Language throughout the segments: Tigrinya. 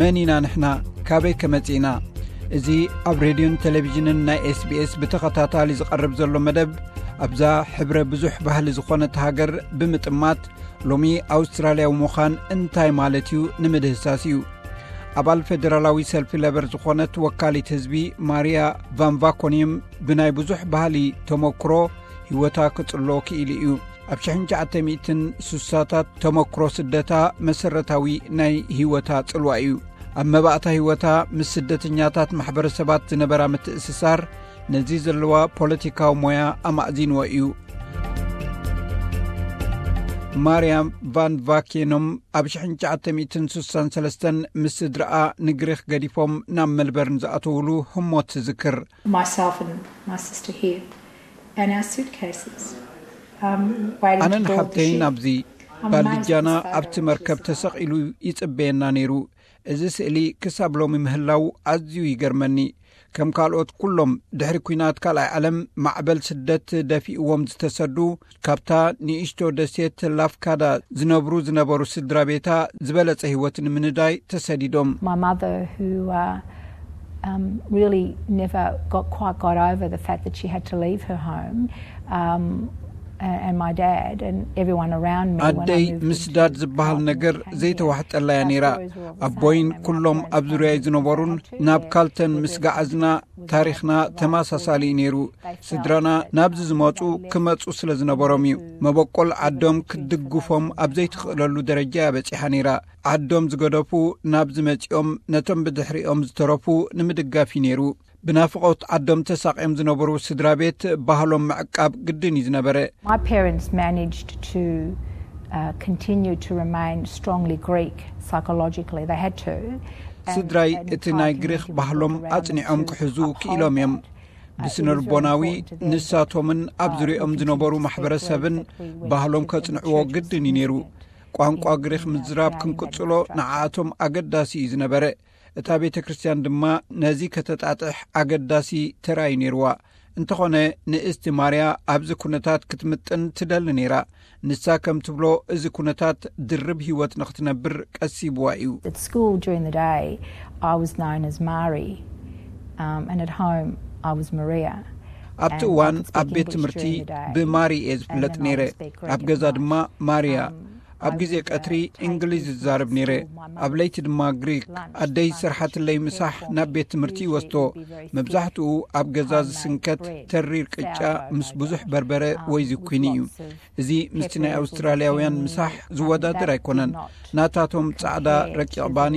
መን ኢና ንሕና? ካበይ ከመጽእና? እዚ ኣብ ሬድዮን ቴሌቪዥንን ናይ ኤስቢኤስ ብተኸታታሊ ዝቐርብ ዘሎ መደብ፣ ኣብዛ ሕብረ ብዙሕ ባህሊ ዝኾነት ሃገር ብምጥማት፣ ሎሚ ኣውስትራልያዊ ምዃን እንታይ ማለት እዩ ንምድህሳስ እዩ። ኣባል ፌደራላዊ ሰልፊ ለበር ዝኾነት ወካሊት ህዝቢ ማርያ ቫን ቫኮኒየም ብናይ ብዙሕ ባህሊ ተመክሮ ህይወታ ክጽሎ ክኢሉ እዩ። ኣብ ሽሕን ትሽዓተ ሚእትን ስሳታት ተመክሮ ስደታ መሰረታዊ ናይ ህይወታ ጽልዋ እዩ። ኣብ መባእታ ህይወታ ምስ ስደተኛታት ማሕበረሰባት ዝነበራ ምትእስሳር ነዚ ዘለዋ ፖለቲካዊ ሞያ ኣማእዚንዎ እዩ። ማርያም ቫን ቫኬኖም ኣብ ሽሕን ትሽዓተ ሚእትን ስሳን ሰለስተን ምስ ስድራኣ ንግሪኽ ገዲፎም ናብ መልበርን ዝኣተውሉ ህሞት ትዝክር። Myself and my sister here and our suitcases, um, waiting to ኣነን board the ሓብተይን ship. ኣብዚ ባልጃና ኣብቲ መርከብ ተሰቒሉ ይጽበየና ነይሩ። እዚ ስእሊ ክሳብ ሎሚ ምህላው ኣዝዩ ይገርመኒ። ከም ካልኦት ኩሎም ድሕሪ ኲናት ካልኣይ ዓለም ማዕበል ስደት ደፊእዎም ዝተሰዱ፣ ካብታ ንእሽቶ ደሴት ላፍካዳ ዝነብሩ ዝነበሩ ስድራ ቤታ ዝበለጸ ህይወት ንምንዳይ ተሰዲዶም። My mother, who uh, um, really never got quite got over the fact that she had to leave her home, um, and, and my dad and everyone around me. When I ኣደይ moved ምስዳድ into ዝበሃል Carlton ነገር and came here, ዘይተዋሕጠላያ our ነይራ። stories were all the ኣቦይን same. ኩሎም ኣብ ዙርያይ ዝነበሩን ናብ ካልተን ምስ ገዓዝና ታሪኽና ተመሳሳሊ እዩ ነይሩ። ስድራና ናብዚ ዝመጹ ክመጹ ስለ ዝነበሮም እዩ። መበቆል ዓዶም ክትድግፎም ኣብ ዘይትኽእለሉ ደረጃ እያ በጺሓ ነይራ። ዓዶም ዝገደፉ ናብዚ መጺኦም ነቶም ብድሕሪኦም ዝተረፉ ንምድጋፍ እዩ ነይሩ። ብናፍቖት ዓዶም ተሳቕዮም ዝነበሩ ስድራ ቤት ባህሎም ምዕቃብ ግድን እዩ ዝነበረ። My parents managed to uh, continue to remain strongly Greek psychologically. They had to. And- ስድራይ and እቲ ናይ tried to ግሪኽ move the ባህሎም world around them ኣጽኒዖም to ክሕዙ uphold ክኢሎም እዮም። that. Uh, it was ብስነ very ልቦናዊ important to them, ንሳቶምን ኣብ uh, ዙሪኦም we ዝነበሩ continued to speak ማሕበረሰብን Greek, that we went ባህሎም to ከጽንዕዎ different ግድን churches እዩ ነይሩ። in- ቋንቋ in- ግሪኽ in, uh, ምዝራብ creating that ክንቅጽሎ infrastructure. ንዓኣቶም ኣገዳሲ እዩ ዝነበረ። እታ ቤተ ክርስቲያን ድማ ነዚ ከተጣጥሕ ኣገዳሲ ተራይ ነይርዋ። እንተኾነ ንእስቲ ማርያ ኣብዚ ኩነታት ክትምጥን ትደሊ ነይራ። ንሳ ከም ትብሎ እዚ ኩነታት ድርብ ህይወት ንኽትነብር ቀሲብዋ እዩ። At school during the day, I was known as Mari, um, and at home, I was Maria. ኣብቲ እዋን ኣብ ቤት ትምህርቲ ብማሪ እየ ዝፍለጥ ነይረ። ኣብ ገዛ ድማ ማርያ። ኣብ ግዜ ቀትሪ እንግሊዝ ዝዛረብ ነይረ፣ ኣብ ለይቲ ድማ ግሪክ። ኣደይ ዝሰርሓትለይ ምሳሕ ናብ ቤት ትምህርቲ ይወስዶ። መብዛሕትኡ ኣብ ገዛ ዝስንከት ተሪር ቅጫ ምስ ብዙሕ በርበረ ወይ ዝኩኒ እዩ። እዚ ምስቲ ናይ ኣውስትራልያውያን ምሳሕ ዝወዳደር ኣይኮነን። ናታቶም ጻዕዳ ረቂቕ ባኒ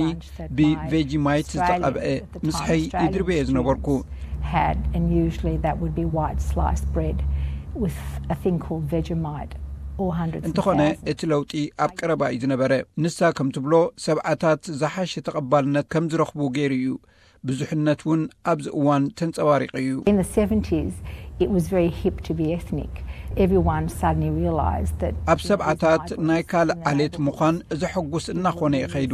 ብቬጂማይት ዝተቐብአ ምስሐይ ይድርበየ ዝነበርኩ። Had, and usually that would be white sliced bread with a thing called Vegemite or hundreds and እንተኾነ thousands. እቲ ለውጢ ኣብ ቀረባ እዩ ዝነበረ። ንሳ ከም ትብሎ ሰብዓታት ዝሓሸ ተቐባልነት ከም ዝረኽቡ ገይሩ እዩ። ብዙሕነት እውን ኣብዚ እዋን ተንጸባሪቑ እዩ። In the seventies, it was very hip to be ethnic. Everyone suddenly realised that ኣብ ሰብዓታት ናይ ካልእ ዓሌት ምዃን ዘሐጉስ እናኾነ እዩ ኸይዱ።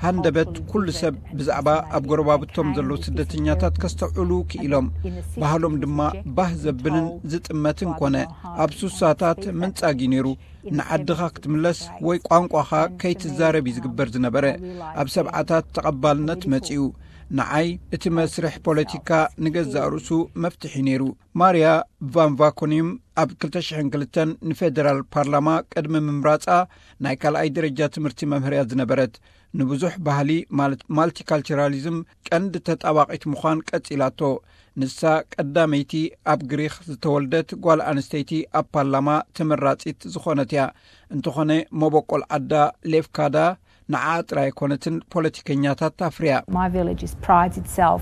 ሃንደበት ኩሉ ሰብ ብዛዕባ ኣብ ጎረባብቶም ዘለዉ ስደተኛታት ከስተውዕሉ ክኢሎም። ባህሎም ድማ ባህ ዘብልን ዝጥመትን ኮነ። ኣብ ሱሳታት ምንጻግ እዩ ነይሩ። ንዓድኻ ክትምለስ ወይ ቋንቋኻ ከይትዛረብ እዩ ዝግበር ዝነበረ። ኣብ ሰብዓታት ተቐባልነት መጺኡ። ንዓይ እቲ መስርሕ ፖለቲካ ንገዛእ ርእሱ መፍትሒ ነይሩ። ማርያ ቫን ቫኮኒም ኣብ ክልተ ሽሕን ክልተን ንፌደራል ፓርላማ ቅድሚ ምምራጻ ናይ ካልኣይ ደረጃ ትምህርቲ መምህርያ ዝነበረት፣ ንብዙሕ ባህሊ ማለት ማልቲካልቸራሊዝም ቀንዲ ተጣባቒት ምዃን ቀጺላቶ። ንሳ ቀዳመይቲ ኣብ ግሪኽ ዝተወልደት ጓል ኣንስተይቲ ኣብ ፓርላማ ተመራጺት ዝኾነት እያ። እንተኾነ መበቆል ዓዳ ሌፍካዳ ንዓ ጥራይ ኣይኮነትን ፖለቲከኛታት ኣፍርያ። My village is, prides itself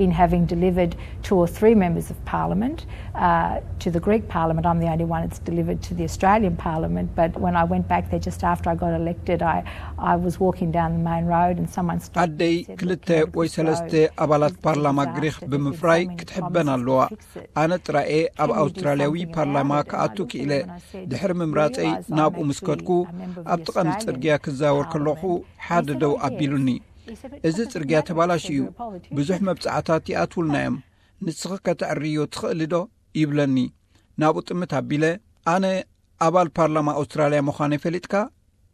in having delivered two or three members of parliament uh, to the Greek parliament. I'm the only one that's delivered to the Australian parliament. But when I went back there just after I got elected, I, I was walking down the main road and someone stopped. ኣደይ ክልተ ወይ ሰለስተ ኣባላት ፓርላማ ግሪኽ ብምፍራይ ክትሕበን ኣለዋ። ኣነ ጥራኤ ኣብ ኣውስትራልያዊ ፓርላማ ክኣቱ ክኢለ። ድሕሪ ምምራጸይ ናብኡ ምስ ከድኩ፣ ኣብቲ ቀንዲ ጽርግያ ክዛወር ከለኹ ሓደ ደው ኣቢሉኒ። "እዚ ጽርግያ ተባላሽ እዩ፣ ብዙሕ መብጻዕታት ይኣትውልና እዮም፣ ንስኺ ከተዕርዮ ትኽእሊ ዶ?" ይብለኒ። ናብኡ ጥምት ኣቢለ፣ "ኣነ ኣባል ፓርላማ ኣውስትራልያ ምዃነይ ፈሊጥካ?"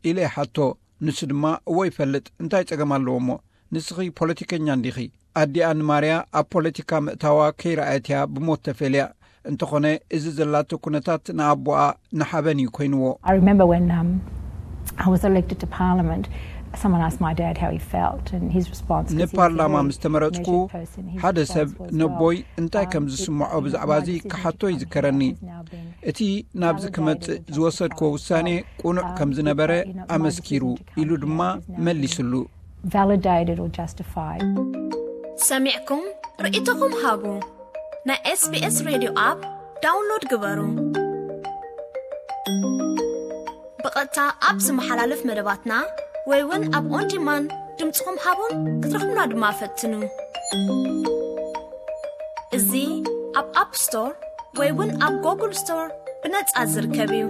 ኢለ ይሓቶ። ንሱ ድማ፣ "እወ ይፈልጥ፣ እንታይ ጸገም ኣለዎ እሞ?" ንስኺ ፖለቲከኛ እንዲኺ? ኣዲኣ ንማርያ ኣብ ፖለቲካ ምእታዋ ከይረኣየት እያ ብሞት ተፈልያ። እንተኾነ፣ እዚ ዘላቶ ኩነታት ንኣቦኣ ንሓበን እዩ ኮይንዎ። I remember when um, I was elected to Parliament, someone asked my dad how he felt, and his response was, he was a ንፓርላማ very ምስ ተመረጽኩ፣ measured person. His ሓደ ሰብ response was, well, ነቦይ እንታይ ከም um, it ዝስምዖ wasn't ብዛዕባ my እዚ decision to ክሓቶ እዩ come here ዝከረኒ። has now been እቲ ናብዚ ክመጽእ ዝወሰድክዎ ውሳኔ ቅኑዕ ከም ዝነበረ ኣመስኪሩ ኢሉ ድማ መሊስሉ። Validated or justified. ሰሚዕኩም ርእይቶኹም ሃቡ። ናይ ኤስቢኤስ ሬድዮ ኣፕ ዳውንሎድ ግበሩ። ብቐጥታ ኣብ ዝመሓላለፍ መደባትና ወይ እውን ኣብ ኦን ዲማንድ ድምፅኹም ሃቡን ክትረኽቡና ድማ ፈትኑ። እዚ ኣብ ኣፕ ስቶር ወይ እውን ኣብ ጎግል ስቶር ብነጻ ዝርከብ እዩ።